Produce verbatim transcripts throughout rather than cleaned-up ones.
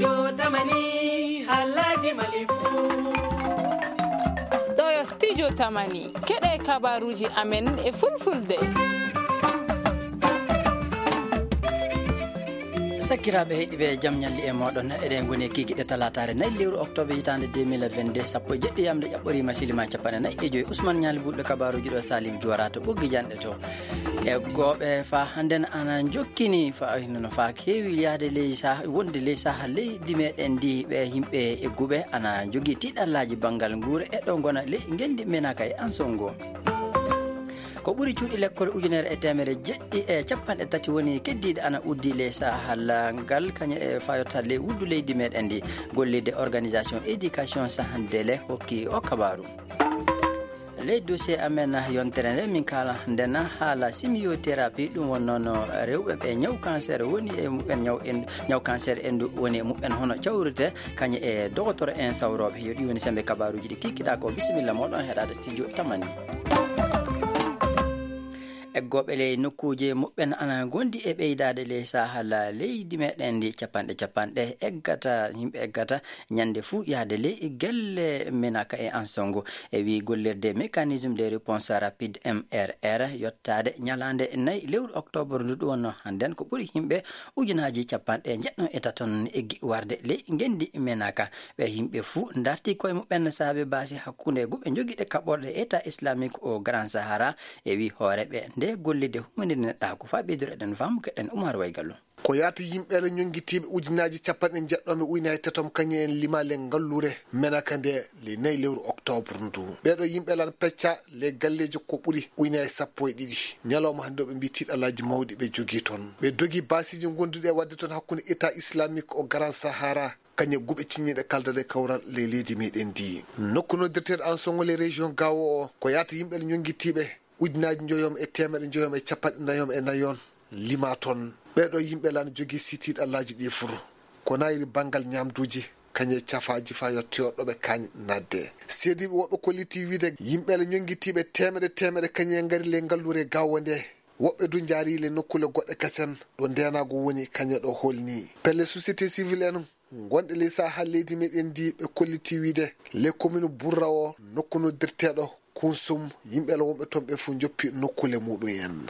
Yo tamani, halaji malifu. Ɗo yo studio tamani, keɗe kabaruji amen e fulfulde. Sakkiraaɓe heɗiiɓe, jam ñalli e mooɗon. Eɗen ngoni e kikiɗe talaataare nayi lewru oktoobre hitaande deux mille vingt-deux, sappo e jeɗɗi yamde ƴaɓɓoriima silima capanɗe nayi e joyi. Usman Ñaali Bulɗo kabaruji ɗo, Salim Juwara to ɓoggi janɗe to. E gooɓe fa hannden ana jokkini fa no fa keewi yahde ley sah-, wonde ley saha leydi meɗen ndi, ɓe yimɓe e guɓe ana jogii tiiɗallaaji banngal nguura e ɗo ngona ley ngenndi menaka e ansongo. Ko ɓuri cuuɗi lekkol ujunere e teemere jeɗɗi e capanɗe tati woni keddiiɗe ana uddi ley saha ngal, kañe e fayotta ley wuddu leydi meɗen ndi. Gollirde organisation éducation sahandele hokki o kabaru. Ley dossier amen yontere nde min kaala nden haala chimiothérapie, ɗum won noon rewɓe ɓe ñaw cancer woni e muɓɓen, ñaw en-, ñaw cancer endu woni e muɓɓen hono cawrite, kañe e dogotoro en sawrooɓe. Yo ɗi woni sembe kabaruji ɗi kikkiɗa ko. Bisimilla moɗon heɗade studio tamani. Eggooɓe ley nokkuuje muɓɓen ana gondi e ɓeydaade ley saha leydi meɗen ndi. Capanɗe capanɗe eggata, yimɓe eggata ñande fuu yahde ley gelle menaka e ansongo. E wii gollirde mécanisme de réponse rapide M R R yottaade ñalaande nayi lewru oktoobre ndu ɗum wonno hannden ko ɓuri yimɓe ujunaaji capanɗe jeɗɗo e taton eggi warde ley ngenndi menaka. Ɓe yimɓe fuu darti koye muɓɓen saabe baasi hakkunde guɓe jogiiɗe kaɓorɗe État islamique au Grand Sahara. E wii hooreeɓe nde gollirde humminde neɗɗa ko faa ɓeydoro eɗen faamu keɗen Umar Waygallo. Ko yaata yimɓe le ñonngitiiɓe ujunaaji capanɗe jeɗɗo e ujunaaji tatom kañum en limaali e ngalluure menaka nde le nayi lewru oktoobre ndu. Ɓeeɗo yimɓe lan pecca le galleeji ko ɓuri ujunaaji sappo e ɗiɗi. Ñalawma hannde o ɓe mbii tiiɗalaaji mawɗi ɓe jogii toon. Ɓe dogi baasiiji gonduɗi e waɗde toon hakkunde État islamique au Grand Sahara. Kañe guɓe ciññiiɗe kaldaɗe kawral le leydi meɗen ndi. Nokku noddirteeɗo en songo le région Gao o, ko yaata yimɓe le ñonngitiiɓe ujunaaji njoyom e teemeɗe njoyom e capanɗe nayom e nayon lima toon. Ɓeeɗo yimɓe lan jogii sitiiɗallaaji ɗi fur. Ko nayri banngal ñaamduuji, kañe cafaaji fa yottoyo ɗo ɓe kaañ naatde. Seediiɓe woɓɓe kollitii wiide yimɓe le ñonngitiiɓe teemeɗe teemeɗe kañe ngari le ngalluure Gao nde. Woɓɓe du njaari le nokkuule goɗɗe kasen ɗo ndeenaagu woni kañe ɗo holni. Pelle société civile en gonɗe ley saha leydi meɗen ndi ɓe kollitii wiide le commune Burra o nokku noddirteeɗo Kunsum, yimɓe la wonɓe toon ɓe fof njoppi nokkuule muɗum en.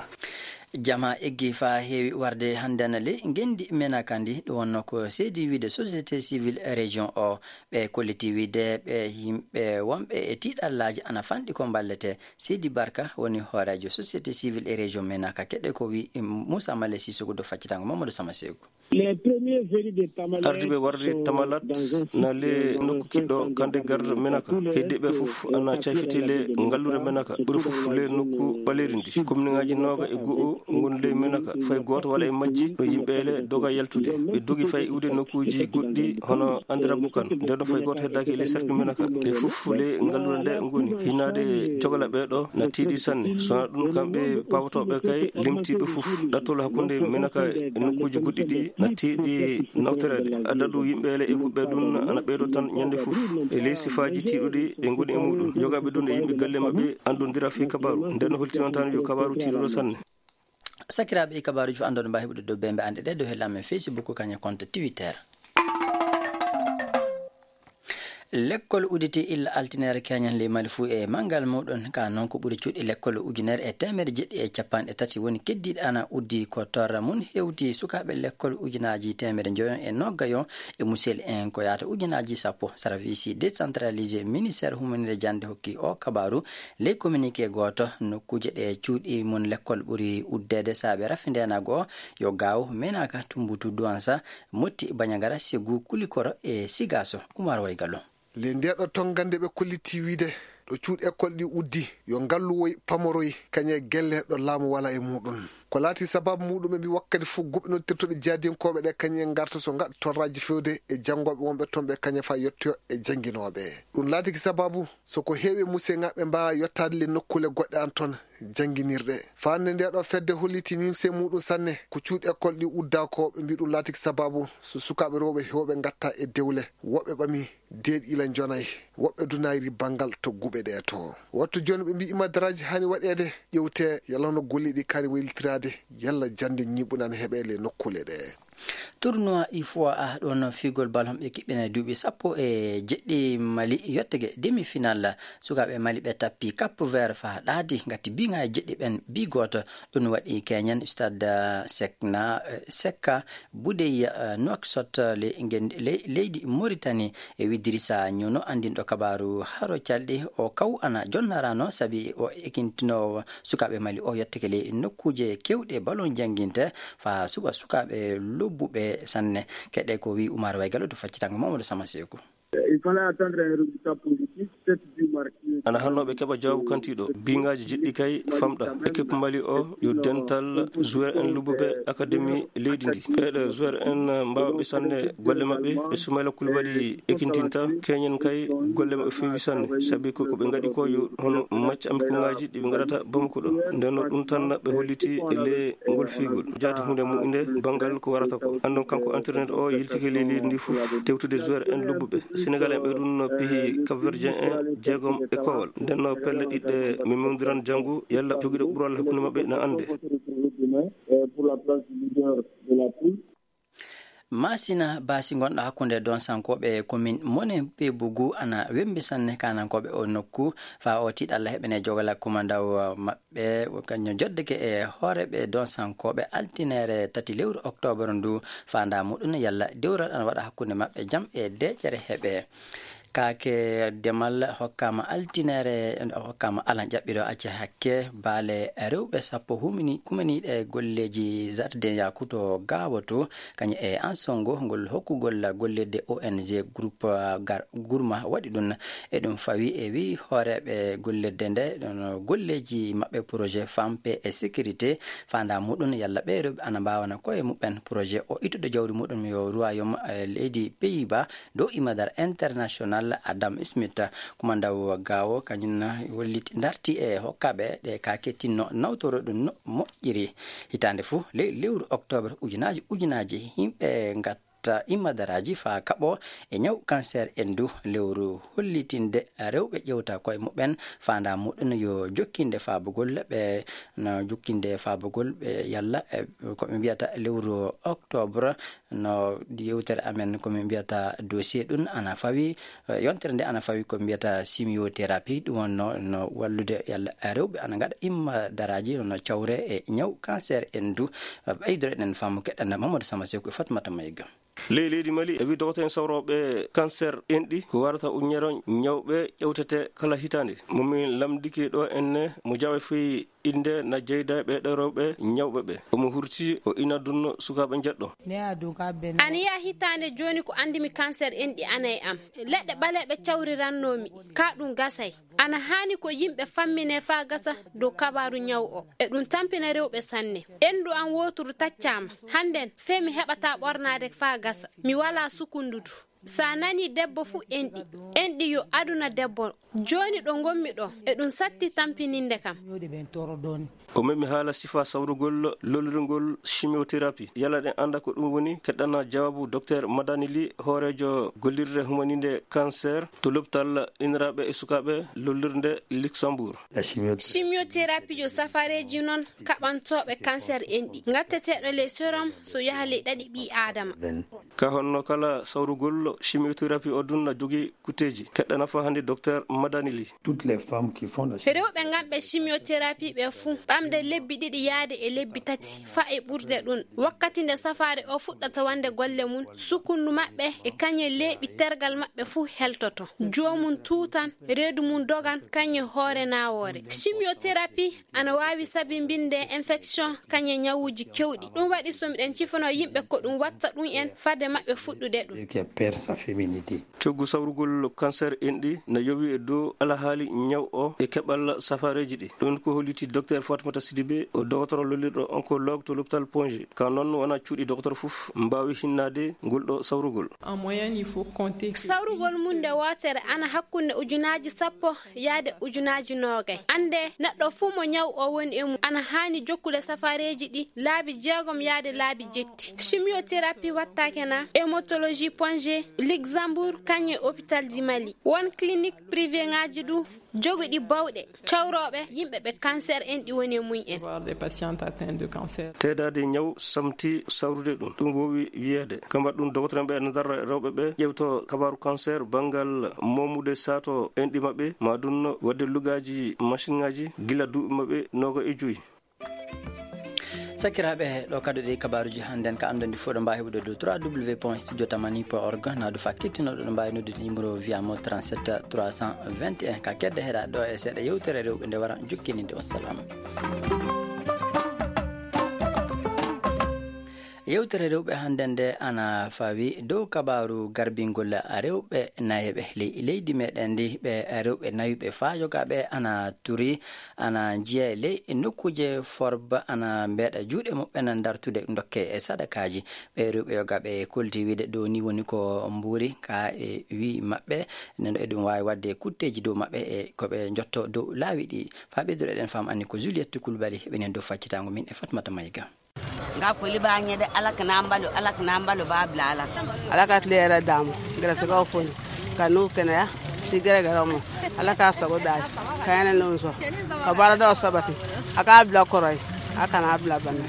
Jama eggi faa heewi warde hannde ana ley ngenndi menaka ndi, ɗum wonnoo ko seedi wiide société civile région o. Ɓe kollitii wiide ɓe yimɓe wonɓe e tiiɗallaaji ana fanɗi ko mballetee. Seydi Barka woni hooreejo société civile e région menaka. Keɗe ko wi Moussa Malé Sissoko do faccitango Mamadou Sama Seeku. Les premiers venus de Tamale Ardiiɓe warde sont Tamalat dans un na le site, nokku euh, kiɗɗo centre Kande Garde d'hébergement. Menaka. Tous les Heddiiɓe fof ana cayfiti le ngalluure menaka. Ɓuri fof le nokku ɓaleeri ndi. Commune ŋaaji nooga e go'o ngon le menaka. Fay gooto wala e majji no yimɓe le doga yaltude. Ɓe dogi fay iwde nokkuuji goɗɗi hono Andirabu kan. Nden no fay gooto heddaaki le cercle menaka. Ɓe fof le ngalluure nde ngoni. Hinaade jogala ɓe ɗo na tiiɗi sanne. So na ɗum kamɓe pawotooɓe kay limtiiɓe fof. Ɗattol hakkunde menaka e nokkuuji goɗɗi ɗi na tiiɗi nawtoreede. Adadu yimɓe le e guɓɓe ɗum ana ɓeydo tan ñande fof. E ley sifaaji tiiɗuɗi ɓe ngoni e muɗum. Yogaaɓe ɗum e yimɓe galle maɓɓe anndondira fii kabaaru. Nden no holti on tan yo kabaaru tiiɗuɗo sanne. Sakiraaɓe, ɗi kabaaruuji fof anndon mbaawi heɓude dow bembe anɗe ɗe dow hella men Facebook kañe compte Twitter. Lekkol udditi illa altine keñen ley Mali fuu e manngal muɗum. Ka noon ko ɓuri cuuɗi lekkol ujunere e teemedde jeɗɗi e capanɗe tati woni keddiiɗi ana uddi ko torra mum hewti sukaaɓe lekkol ujunaaji teemedde njoyon e noggayon e musel en ko yaata ujunaaji sappo. Sarafisi décentralisé ministère humanire jannde hokki o kabaaru ley communiqué gooto. Nokkuuje ɗe cuuɗi mum lekkol ɓuri uddeede saabe rafi ndeenago yo gaaw menaka tumbutu duwansa. Motti, Bañagara, Segu, Kulikoro e Sigaaso. Umar Waygallo. Le ndeeɗo tongande ɓe kolliti wiide ɗo cuuɗi école ɗi uddi, yo ngalluwoy pamoroy kañe gelle ɗo laamu wala e muɗum. Ko laati sababu muɗum ɓe mbi wakkati fof guɓe noddirtoɗe jaadiyankooɓe ɗe kañe ngarta so ngaɗa torraaji fewde e janngooɓe wonɓe toon ɓe kañe fa yettoyo e jannginooɓe. Ɗum laatiki sababu so ko heewi e museŋaaɓe mbaawa yottaade le nokkuule goɗɗe an toon jannginirɗe. Faande nde ɗo fedde holliti nimse muɗum sanne ko cuuɗi école ɗi udda ko ɓe mbi ɗum laatiki sababu so sukaaɓe rewɓe heewɓe ngatta e dewle. Woɓɓe ɓami deeɗi ila njonay, woɓɓe dunayri banngal to guɓe ɗe to. Wattu jooni ɓe mbi imadaraaji hani waɗeede ƴewte yalla no golle ɗi kaani waylitiraade yalla jannde ñiiɓunan heɓe le nokkuule ɗe. Tournoi U F O A ɗon figol ballon ɓe kiɓɓina duuɓi sappo e jeɗɗi Mali yottege demi-finale. Sukaaɓe Mali ɓe tappi Cap Vert faa ɗaadi ngati biŋaaji jeɗɗi ɓen bi gooto. Ɗum waɗi keñen stade Sekna, eh, Sekka Budey, eh, Nouakchott, le-, ngen-, le-, leydi Mauritanie. E Idrissa Ñono anndinɗo kabaaru haro calɗi o kaw ana jonnarano sabi o ekintinoowo sukaaɓe Mali o yetteke ley nokkuuje keewɗe ballon jannginte faa suɓa sukaaɓe lobbuɓe sanne. Keɗe ko wi Umar Waygalo to faccitango Mamadou Sama Seeku. Il fallait attendre un résultat positif, sept buts marqués. Ana hannooɓe keɓa jawaabu kantiiɗo. Biŋaaji jeɗɗi kay famɗa. Équipe Mali o yo dental joueur en lobbuɓe académie leydi ndi. Ɓeeɗo joueur en mbaawa ɓe sanne golle maɓɓe. Ɓe Soumaïla Koulibaly ekintinta. Keñen kay golle maɓɓe feewi sanne. Sabi ko, ko ɓe ngaɗi ko yo hono match amicaux ŋaaji ɗi ɓe ngaɗata Bamako ɗo. Nden no ɗum tan ɓe holliti e le ngol fiigol. Jaati huunde mu'unde banngal ko warata ko. Anndon kanko entraîneur o yiltike ley leydi ndi fof tewtude joueur en lobbuɓe. Sénégal en ɓe ɗum no pihi Cap Verdien en jeegom e kowal. Nden no pelle ɗiɗɗe mi mewdiran janngo yalla jogiiɗo ɓural hakkunde maɓɓe na annde. Masina baasi ngonɗo hakkunde donsankooɓe commune Mone Pebugu ana wembi sanne kanankooɓe o nokku faa o tiiɗalla heɓene jogala kumandaw maɓɓe. Ɓe, kañum joddeke e hooreeɓe donsankooɓe altineere tati lewru oktoobar ndu, faandaa muɗum yalla dewral ana waɗa hakkunde maɓɓe jam e deeƴere heɓe. Kaake demal hokkaama altineere, hokkaama alan ƴaɓɓiro acce hakke baale rewɓe sappo humini, kumaniiɗe golleeji jardin yakuto gaawoto, kañum e ansongo ngol hokkugol gollirde O N G groupe, ah, gar-, Gurma waɗi ɗum. E ɗum fawi e wi hooreeɓe gollirde nde, ɗon golleeji maɓɓe projet Femme, Paix et Sécurité, faandaa muɗum yalla ɓee rewɓe ana mbaawana koye muɓɓen projet o ittude jawdi muɗum yo royaume, eh, leydi Pays-Bas dow imadar international Adam Smith. Kumandaw Gawo kañum hollit-, darti e hokkaaɓe ɗe ka kettinno nawtoro ɗum no moƴƴiri. Hitaande fof le-, lewru octobre ujunaaji ujunaaji yimɓe ngat ta immadaraaji faa kaɓo e ñaw cancer enndu. Lewru hollitinde rewɓe ƴewta koye muɓɓen faandaa muɗum yo jokkinde faabugol ɓe, no jokkinde faabugol ɓe yalla, eh, ko ɓe mbiyata lewru octobre, no yewtere amen ko min mbiyata dossier ɗum ana fawi, eh, yontere nde ana fawi ko mbiyata chimiothérapie, ɗum wonno no wallude yalla rewɓe ana ngaɗa immadaraaji no cawre e ñaw cancer enndu. Ɓeydoro eɗen faamu keɗɗanda Mamadou Sama Seku e Fatmata Mayga. Ley leydi Mali, e wi dogoto en sawrooɓe cancer enɗi, ko warata uññero ñawɓe ƴewtete kala hitaande. Mo min lamndike ɗo enne, mo jawe fii innde na jeyda e ɓeeɗo rewɓe ñawɓe ɓe. Omo hurti o ina dunno sukaaɓe njeɗɗo. Ana yiya hitaande jooni ko anndimi cancer enɗi ana e am. Leɗɗe ɓaleeɓe cawrirannoomi, ka ɗum gasay. Ana haani ko yimɓe fammine faa gasa dow kabaaru ñaw o. E ɗum tampina rewɓe sanne. Enndu am wooturu taccaama. Hannden, fee mi heɓataa ɓornaade faa gasa. Mi walaa sukundu du. Sa nanii debbo fuu enɗi. Enɗi yo aduna debbo. Jooni ɗo ngonmi ɗo, e ɗum satti tampininde kam. O memi haala sifaa sawrugol lollirgol chimiothérapie. Yalla ɗen annda ko ɗum woni? Keɗɗana jawaabu Docteur Madani Ly, hooreejo gollirde humaninde cancer to lopital iniraaɓe e sukaaɓe lollirde Luxembourg. Chimiothérapie yo safareeji non kaɓantooɓe cancer enɗi. Ngatteteeɗo ley sérum so yaha ley ɗaɗi ɓii Aadama. Ka honno kala sawrugol chimiothérapie o ɗum na jogii kutteeji? Keɗɗana fa hannde Docteur Madani Ly. Toutes les femmes qui font la Rewɓe nganɓe chimiothérapie ɓe fuu, ɓamde lebbi ɗiɗi yaade e lebbi tati, faa e ɓurde ɗum. Wakkati nde safaare o fuɗɗata wonde golle mum, sukundu maɓɓe e kañe leeɓi tergal maɓɓe fuu heltoto. Joomum tuutan, reedu mum dogan, kañe hoore naawoore. Chimiothérapie ana waawi sabinbinde infection, kañe ñawuuji kewɗi. Ɗum waɗi so miɗen cifanoo yimɓe ko ɗum watta ɗum en fade maɓɓe fuɗɗude ɗum. Qui perd sa féminité. Coggu sawrugol cancer enɗi na yowi e dow alahaali ñaw o e keɓal safareeji ɗi. Ɗum ko holliti Docteur Fatmata Sidibé, o dogotoro lollirɗo oncologue to l'hôpital Pongé. Ka noon wona cuuɗi dogotoro fof mbaawi hinnaade ngol ɗo sawrugol. En moyenne, il faut compter que Sawrugol mum nde wootere ana hakkunde ujunaaji sappo yaade ujunaaji noogay. Annde, neɗɗo fuu mo ñaw o woni e mum, ana haani jokkude safareeji ɗi laabi jeegom yaade laabi jetti. Chimiothérapie wattaake na, hématologie Pongé Luxembourg, kañum e hôpital du Mali. Won clinique privé ŋaaji du joguɗi bawɗe cawrooɓe yimɓe ɓe cancer en ɗi woni e mum en. Teedaade ñaw samti sawrude ɗum. Ɗum wowi wiyeede. Kambat ɗum, dogotoreeɓe ene ndarra rewɓe ɓe ƴewto kabaaru cancer banngal moomude saato enɗi maɓɓe, ma ɗum waɗde lugaaji machine ŋaaji gila duuɓi maɓɓe nooga e joyi. Sakiraaɓe, ɗo kadi ɗi kabaaruuji hannden ka anndandi fof ɗo mbaawi heɓude dow trois w point studio tamani point org, na du fakkitino ɗo mbaawi noddude numéro via mo trente-sept trois cent vingt et un. Ka kedde heɗa ɗo e seeɗa yewtere rewɓe nde wara jukkininde. Wassalam. Yewtere rewɓe hannden nde ana fawi dow kabaaru garbingol rewɓe nayeɓe ley leydi meɗen ndi, ɓe rewɓe nayuɓe faa yogaaɓe ana turi, ana njiya ley nokkuuje forba, ana mbeeɗa juuɗe muɓɓen dartude dokke e sadakaaji. Ɓe rewɓe yogaaɓe kolti wiide ɗo ni woni ko mbuuri ka e wi maɓɓe, neno eɗum waawi waɗde kutteeji dow maɓɓe e ko ɓe njotto dow laawi ɗi. Faa ɓeyduɗo eɗen faam anni ko Juliette Koulibaly heɓenen dow faccitaango min e Fatmata Mayiga. Nga foli ba ñede alak na mbalo, alak na mbalo ba bla alak. Alaka tlera damu, grasa ga foni. Kanu kene ya, si gere gere mo. Alaka sago dai. Kayana nunso. Kabara da sabati. Aka bla koroi. Aka na bla bane.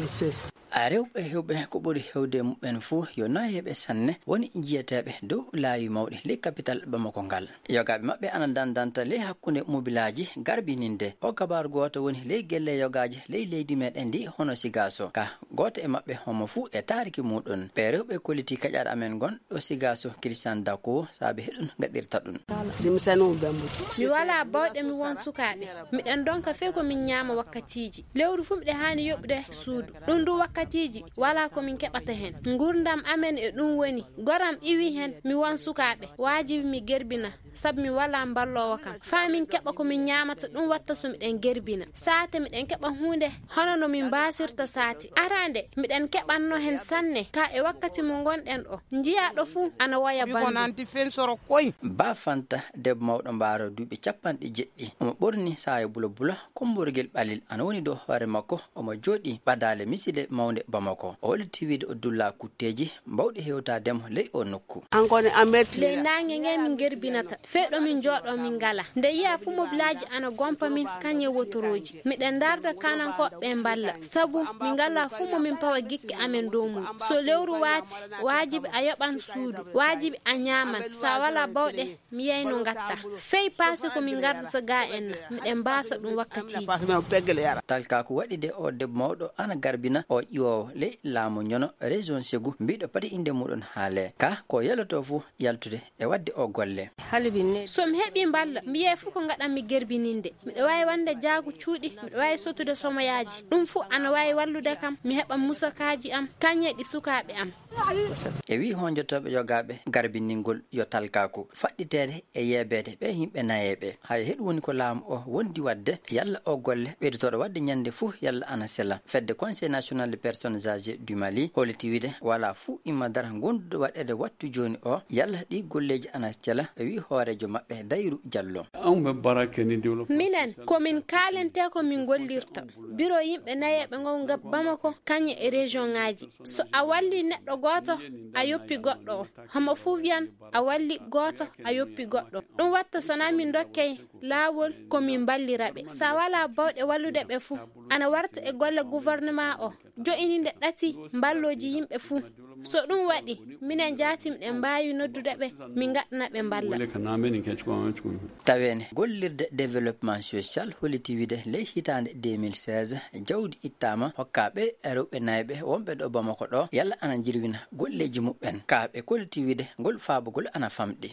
Nse. A rewɓe hewɓe ko ɓuri hewde muɓɓen fuu yo nayeeɓe sanne woni njiyeteeɓe dow laawi mawɗi ley kapital Bamako ngal. Yogaaɓe maɓɓe ana dandanta ley hakkunde mobilaaji garbininde. O kabaaru gooto woni ley gelle yogaaji ley leydi meɗen ndi hono Sigaaso. Ka gooto e maɓɓe homo fuu e taariki muuɗum. Ɓe rewɓe kolliti kaƴar amen ngon ɗo Sigaaso Christian Dako saabe heɗum gaɗirta ɗum. Mi walaa bawɗe mi won sukaaɓe. Miɗen ndonka fey ko min ñaama wakkatiiji. Lewru fuu miɗen haani yoɓude suudu. Ɗum du wakkatiiji walaa ko min keɓata heen. Nguurndam amen e ɗum woni. Goram iwi heen mi won sukaaɓe. Waajibi mi gerbina. Sabu mi walaa mballoowo kam. Faa min keɓa ko min ñaamata, ɗum watta so miɗen gerbina. Saate miɗen keɓa huunde hono no min mbaasirta saate. Araande, miɗen keɓanno heen sanne. Ka e wakkati mo ngonɗen o, njiyaaɗo fuu ana woya banndum. Ba Fanta, debbo mawɗo mbaaro duuɓi capanɗe jeɗɗi. Omo ɓorni saaya bula bula, kommborgel ɓalil ana woni dow hoore makko. Omo jooɗii ɓadaale misile mawnde Bamako. O holliti wiide o dulla kutteeji bawɗi hewtaade mo ley o nokku. Ley naange nge min gerbinata, fey ɗo min njooɗoo min ngala. Nde yiya fuu mobilaaji ana gompa min, kañe wotorooji. Miɗen ndarda kanankooɓe ɓe mballa, sabu min ngala fuu mo min pawa gikke amen dow mum. So lewru waati, waajibi a yoɓan suudu, waajibi a ñaaman. Sa walaa bawɗe, mi yiyay no ngatta. Fey paase ko min ngardata ga en na, miɗen mbaasa ɗum wakkatiiji. Talkaaku waɗi de o debbo mawɗo ana garbina o ƴiwoowo ley laamu ñono région Ségou, mbiɗo pati innde muɗum haale. Ka ko yeloto fuu yaltude e waɗde o golle. So mi heɓii mballa, mi yiyay fuu ko ngaɗan mi gerbininde. Miɗo waawi wonde jaagu cuuɗi, miɗo waawi sottude somoyaaji. Ɗum fuu ana waawi wallude kam, mi heɓa musakaaji am, kañe ɗi sukaaɓe am. E wii honjotooɓe yogaaɓe garbiningol yo talkaaku faɗɗiteede e yeebeede ɓe yimɓe nayeeɓe. Hay heɗum woni ko laamu o wondi waɗde, yalla o golle ɓeydotooɗo waɗde ñande fuu yalla ana sela. Fedde Conseil National des Personnes Âgées du Mali holliti wiide walaa fuu imma dara gonduɗo waɗeede wattu jooni o, yalla ɗi golleeji ana sela, e wii hooreejo maɓɓe Dayru Jallo. Minen, ko min kaalentee ko min ngollirta. Biro yimɓe nayeeɓe ngo ngam Bamako, kañe e région ŋaaji. So a walli neɗɗo gooto, a yoppi goɗɗo o. Homo fuu wiyan a walli gooto, a yoppi goɗɗo. Ɗum watta so na min ndokkey laawol ko min mballira ɓe. Sa walaa bawɗe wallude ɓe fuu, ana warta e golle gouvernement o, jo'ininde ɗati mballooji yimɓe fuu. So ɗum waɗi, minen jaati miɗen mbaawi noddude ɓe, min ngaɗana ɓe mballa. Taweene, gollirde développement social holliti wiide ley hitaande deux mille seize, jawdi ittaama hokka ɓe rewɓe nayɓe wonɓe ɗo Bamako ɗo, yalla ana jirwina golleeji muɓɓen. Ka ɓe kolliti wiide ngol faabugol ana famɗi.